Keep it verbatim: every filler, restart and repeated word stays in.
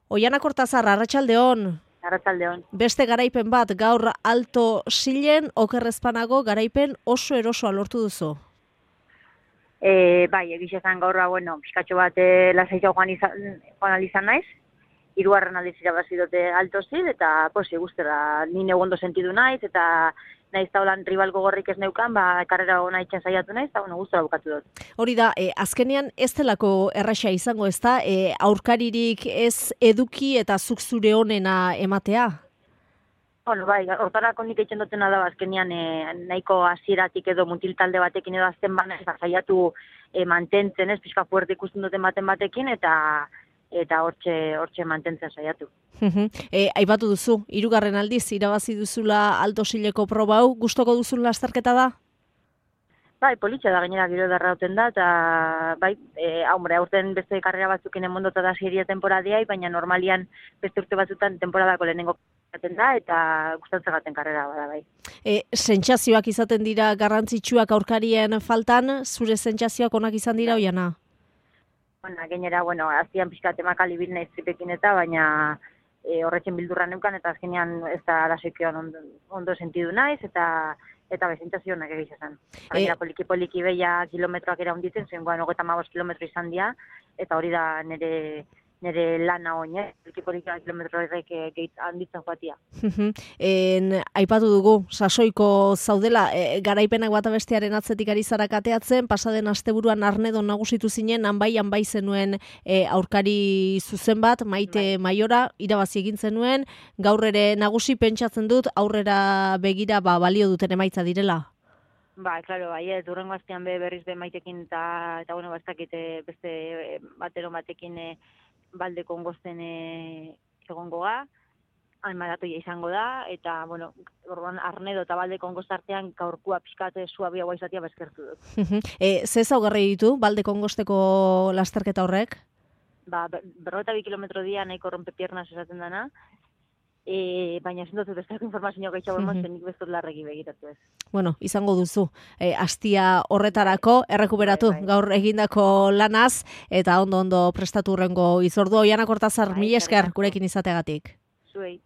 Oiana Kortazar, arratsaldeon. Arratsaldeon. Beste garaipen bat gaur Alto Silen, okerrezpanago garaipen oso erosoa lortu duzu. E, bai, egiz esan gaurra, bueno, pixkatxo bat e, lasaitxo joan izan, joan izan naiz. Hirugarren aldiz irabazi dute Alto Sil, eta posi guztera nine ondo sentidu naiz, eta naiz taulan rival gogorrik ez neukan, ba, karrera hona itxen saiatu naiz, eta bueno, guztera bukatu dut. Hori da, e, azkenean ez delako erraxa izango, ez da, e, aurkaririk ez eduki eta zuk zure honena ematea? Bueno, bai, hortarako nik eitzen dutena da, azkenean e, nahiko hasieratik edo mutil talde batekin edo azten bana, eta saiatu e, mantentzen, ez, pixka fuerte ikusten duten baten batekin, eta eta hortxe, hortxe mantentzen saiatu. e, aipatu duzu, hirugarren aldiz irabazi duzula Alto Sileko proba hau, gustoko duzun lasterketa da? Bai, politxa da gainera giro edarra duten da, eta bai, e, hombre, aurten beste karrera batzukin emondota da seria temporadiai, baina normalian beste urte batzutan temporadako lehenengo gaten da, eta gustatzen gaten karrera bada bai. E, sentsazioak izaten dira garrantzitsuak aurkarien faltan, zure sentsazioak onak izan dira, Oiana? Bueno, gainera, bueno, aztian pixka temakali bil naiz tripekin eta, baina e, horretzen bildurra neukan, eta azkenean ez da arazoikioan ondo, ondo sentidu naiz, eta eta bezentzazionak egiz esan. Gainera, e... poliki-poliki beia kilometroak era hunditzen, zengoan hogeita hamabost kilometro izan dira, eta hori da nire nire lana oin, eh? Poliki-poliki kilometro horrek handitzen joatia. en, aipatu dugu, sasoiko zaudela, e, garaipenak bata bestearen atzetik ari zara kateatzen, pasaden asteburuan Arnedon nagusitu zinen, hanbai, hanbai zenuen e, aurkari zuzen bat, Maite bai. Maiora, irabazi egin zenuen, gaur ere nagusi pentsatzen dut, aurrera begira ba, balio duten emaitza direla. Ba, klaro, bai, ez, durrengo aztean be, berriz be maitekin eta, eta bueno, bastakite beste batero batekin e, balde kongosten e, egongo ga, almaratoia izango da, eta, bueno, orduan Arnedo eta balde kongost artean gaurkua pixkate suabia guai izatea bezkertu dut. e, ze zaugarri ditu balde kongosteko lasterketa horrek? Ba, berrota bi kilometro dia nahiko rompe piernas esaten dana, E, baina ezin dut bestelako informazio gaitxago emozen, nik bestut larregi begiratu ez. Bueno, izango duzu, e, astia horretarako, errekuperatu bai, bai. Gaur egindako lanaz, eta ondo-ondo prestatu hurrengo izordu. Oiana Kortazar, mila esker gurekin izateagatik. Zuei.